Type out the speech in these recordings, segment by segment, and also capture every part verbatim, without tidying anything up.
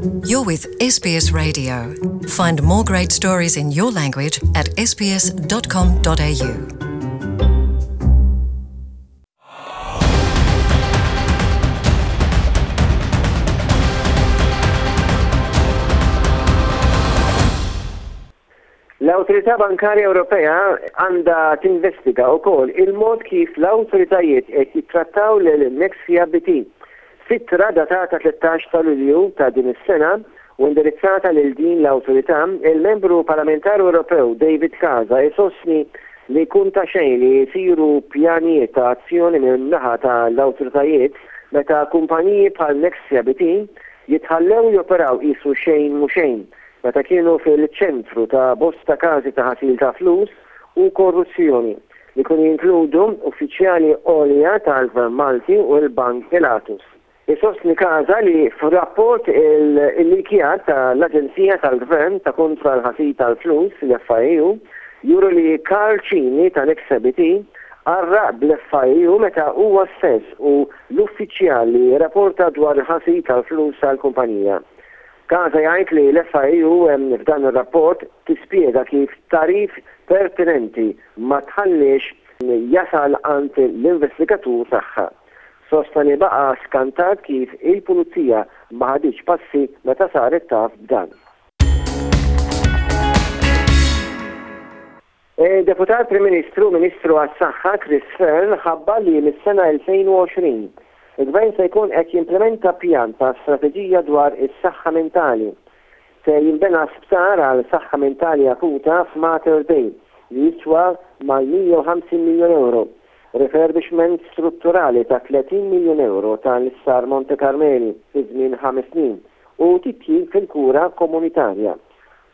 You're with S B S Radio. Find more great stories in your language at S B S dot com dot A U. L-Awtorità Bankarja Ewropea għandha tinvestiga wkoll il-mod kif l-awtoritajiet qed jittrattaw lil Nexia B T. F'ittra datata tlettax ta' Lulju ta' din is-sena u indirizzata lil din l-awtorità, il-membru parlamentari Ewropew David Casa jsostni li jkun ta' xejn li jsiru pjanijiet ta' azzjoni minn naħa tal-awtoritajiet meta kumpaniji bħal Nexia B T jitħallew joperaw qisu xejn mhu xejn meta kienu fil-ċentru ta' bosta każi ta' ħasil ta' flus u korruzzjoni li kienu jinkludu uffiċjali għolja tal-Gvern Malti u l-Bank Pilatus. Isostni Casa li f'rapport il-likjat tal-Aġenzija tal-Gvern ta' kontra l-ħasil tal-flus, l-F I U, juru li Karl Cini ta' Nexia B T qarraq bl-F I U meta huwa stess u l-uffiċjal li rapporta dwar il-ħasil tal-flus tal-kumpanija. Casa jgħid li l-F I U f'dan ir-rapport tispjega kif tagħrif pertinenti ma tħallix jasal għand l-investigatur tagħha. Sostna li baqa skantat kif il-pulizija ma ħaditx passi meta saret taf b'dan. Deputat Prim Ministru, Ministru għas-Saħħa Chris Fearne ħabbar li mis-sena elfejn u għoxrin il-Gvern se jkun qed jimplementa pjan ta' strateġija dwar is-saħħa mentali. Se jinbena sptar għal saħħa mentali akuta f'Mater Dei li jiswa mal-mija u ħamsin miljon euro. Refurbishment strutturali ta' tletin miljon euro tal-Isptar Monte Carmeli fi żmien ħames snin u titjib fil-kura komunitarja.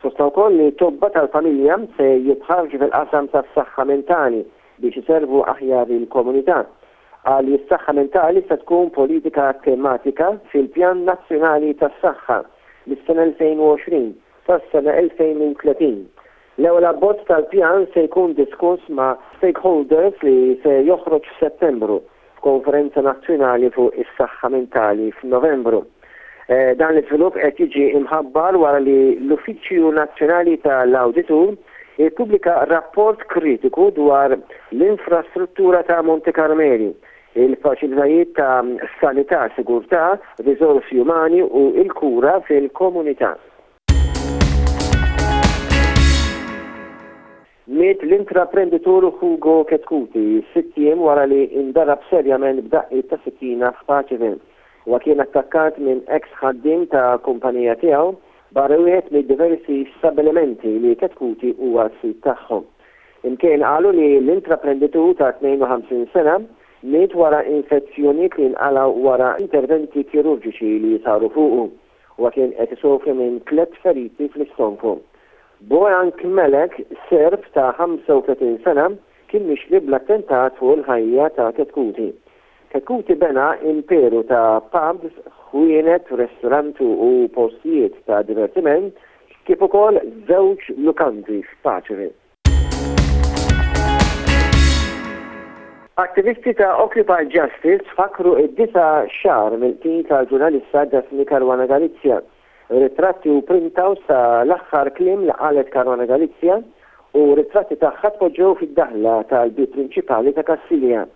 Sostna wkoll li tobba tal-familja se jitħarġu fil-qasam tas-saħħa mentali biex iservu aħjar il-komunità. Qal li s-saħħa mentali se tkun politika tematika fil-Pjan Nazzjonali tas-Saħħa mis-sena elfejn u għoxrin sas-sena elfejn u tletin. L-ewwel abbozz tal-pjan se jkun diskuss ma' stakeholders li se joħroġ f'Settembru f'konferenza nazzjonali fuq is-saħħa mentali f'Novembru. Eh, dan l-iżvilupp qed jiġi imħabbar wara li l-Uffiċċju Nazzjonali tal-Awditur ippubblika rapport kritiku dwar l-infrastruttura ta' Monte Carmeli, il-faċilitajiet ta' sanità, sigurtà, riżorsi umani u il-kura fil-komunità. Miet l-intraprenditur Hugo Chetcuti sitt ijiem wara li indarab serjament b'daqqiet ta' sikkina f'Paceville. Huwa kien attakkat minn ex ħaddiem ta' kumpanija tiegħu barra wieħed mid diversi stabilimenti li Chetcuti huwa s-sid tagħhom. Imkien qalu li l-intraprenditur ta' tnejn u ħamsin sena miet wara infezzjonijiet li nqalaw wara interventi kirurġiċi li saru fuqu. Huwa kien qed isofri minn tliet feriti fl-istonku. Bojan Kmelek, Serb ta' ħamsa u tletin sena, kien mixli bl-attentat fuq il-ħajja ta' Chetcuti. Chetcuti bena imperu ta' pubs, ħwienet, ristoranti u postijiet ta' divertiment kif ukoll żewġ lukandi f'Paceville. Attivisti ta' Occupy Justice fakru id-disa' xahar mill-qtil tal-ġurnalista Daphne Caruana Galizia. Ritratti u printouts ta' l-aħħar kliem li qalet Caruana Galizia u ritratti tagħha tpoġġew fid-daħla tal-bib prinċipali ta' Kastilja.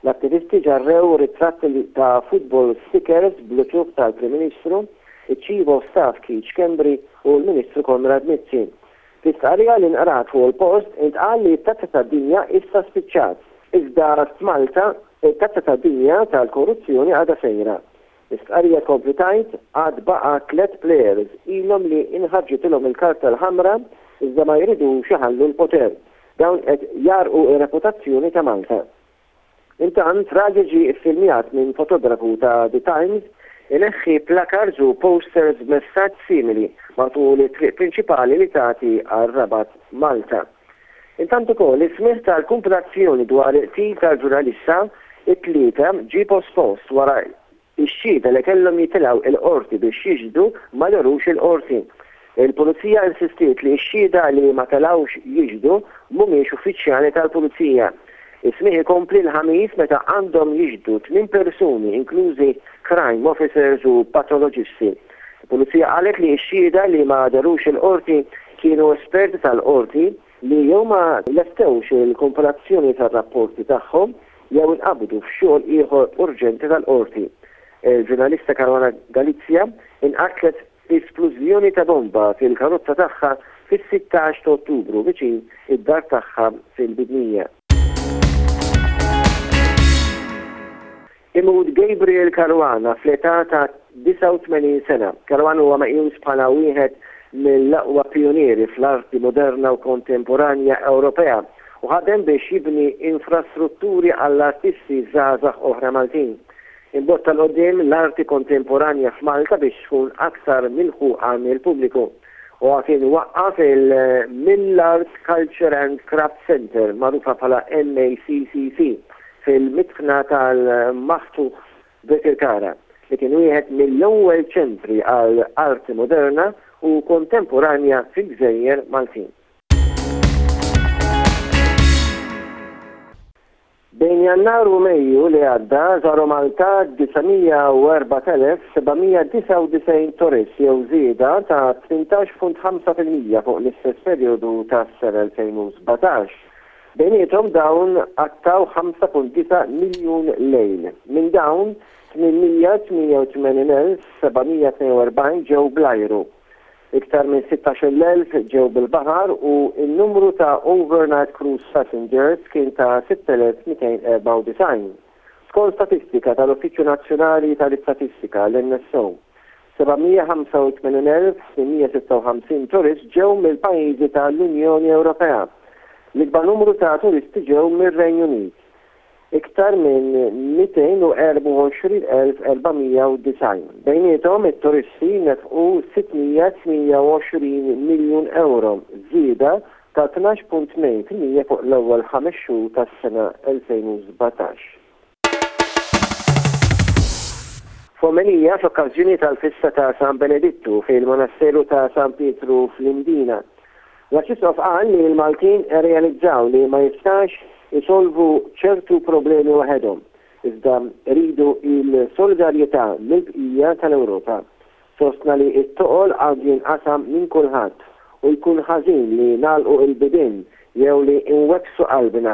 L-attivisti ġarrew ritratti ta' football stickers bl-uċuħ tal-Prim Ministru, iċ-Chief of Staff Keith Schembri u l-Ministru Konrad Mizzi. Fi stqarrija li nqrat fuq il-post intqal li t-tazza tad-dinja issa spiċċat. Iżda f'Malta it-tazza tad-dinja tal-korruzzjoni għadha sejra. L-istqarrija tkompli tgħid għad baqa' tliet players ilhom li inħarġitilhom il-karta l-ħamra iżda ma jridux iħallu l-poter. Dawn qed jgħarrqu ir-reputazzjoni ta' Malta. Intant, raġel ġie iffilmjat minn fotografu ta' The Times ineħħi placards u posters b'messaġġ simili matul it-triq prinċipali li tagħti għal Rabat Malta. Intant ukoll is-smigħ tal-kumpilazzjoni dwar il-qtil tal-ġurnalista it-Tlieta ġie pospost wara ix-xhieda li kellhom jitilgħu il-qorti biex jixhdu ma dehrux il-qorti. Il-pulizija insistiet li x-xhieda li ma telgħux jixhdu mhumiex uffiċjali tal-pulizija. Is-smigħ ikompli l-Ħamis meta għandhom jixhdu tmien persuni, inklużi crime officers u patoloġisti. Il-Pulizija qalet li x-xhieda li ma dehrux il-qorti kienu esperti tal-qorti li jew ma lestewx il-kompilazzjoni tar-rapporti tagħhom jew inqabdu f'xogħol ieħor urġenti tal-qorti. Il-ġurnalista Caruana Galizia inqatlet splużjoni ta' bomba fil-karozza tagħha fis-sittax ta' Ottubru viċin id-dar tagħha fil-Bidnija. Imut Gabriel Caruana fl-età ta' disgħa u tmenin sena. Caruana huwa meqjus bħala wieħed mill-aqwa pionieri fl-arti moderna u kontemporanja Ewropea u ħadem biex jibni infrastrutturi għall-artisti żgħażagħ oħra Maltin. Imbotta l-qoddim l-arti kontemporanja f'Malta biex tkun aktar milħuqa mill-pubbliku. U kien waqqaf il-Millart Culture and Craft Center, magħrufa bħala M A C C C, fil-mitħna tal-Maħtuħ Birkirkara, li kien wieħed mill-ewwel ċentri għal arti moderna u kontemporanja fil-Gżejjer Maltin. Bejn Jannar u Mejju li għadda żaru Malta disa' mija u erbat elef seba' mija disgħa u disgħin turist jew żieda ta' tmintax punt ħamsa fil-mija fuq l-istess perjodu tas-sena elfejn u sbatax. Bejniethom dawn għattaw ħamsa punt disa' miljun lejl. Minn dawn tmien mija tmienja u tmenin elf seba' mija tnejn u erbgħin ġew bl-ajru. Iktar minn sittax-il elf ġew bil-baħar u n-numru ta' overnight cruise passengers kien ta' sitt elef mitejn erbgħa u disgħin. Skont statistika tal-Uffiċċju Nazzjonali tal-Istatistika, l-N S O, seba' mija ħamsa u tmenin elf tmien mija sitta u ħamsin turist ġew mill-pajjiżi tal-Unjoni Ewropea. L-ikbar numru ta' turisti ġew mir-Renju Unit, iktar minn mitejn u erbgħa u għoxrin elf erba' mija u disgħin. Bejniethom it-turisti nefqu sitt mija tmienja u għoxrin miljun euro, żieda ta' tnax punt tnejn fil-mija fuq l-ewwel ħames xhur tas-sena elfejn u sbatax. F'omelija f'okkażjoni tal-festa ta' San Benedittu fil-Monasteru ta' San Pietru fl-Imdina, l-Arċisqof qal li l-Maltin realizzaw li ma jistax isolvu ċertu problemi waħedhom, iżda rridu il-solidarjetà mill-bqija tal-Ewropa. Sostna li t-toqol għandu jinqasam minn kulħadd u jkun ħażin li nagħlqu il-bibien jew li nwebbsu qalbna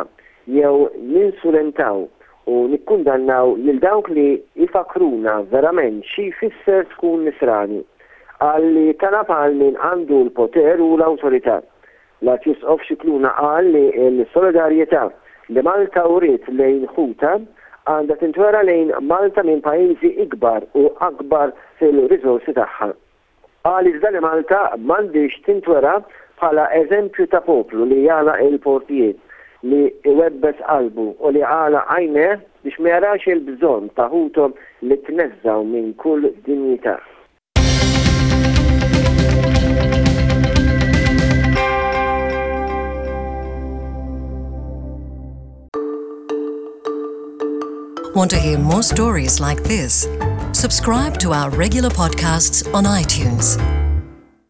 jew ninsulentaw u nikkundannaw lil dawk li jfakruna verament xi jfisser tkun nisrani. Qal li talab għal min għandu l-poter u l-awtorità. L-Arċisqof Scicluna qal li l-solidarjetà li Malta uriet lejn ħuta għandha tintwera lejn Malta minn pajjiżi ikbar u akbar fil-riżorsi tagħha. Qal iżda li Malta m'għandix tintwera bħala eżempju ta' poplu li jagħlaq il-portijiet, li iwebbes qalbu u li għalaq għajnejh biex ma jarax il-bżonn ta' ħuthom li tneżżgħu minn kull dinjità. Want to hear more stories like this? Subscribe to our regular podcasts on iTunes.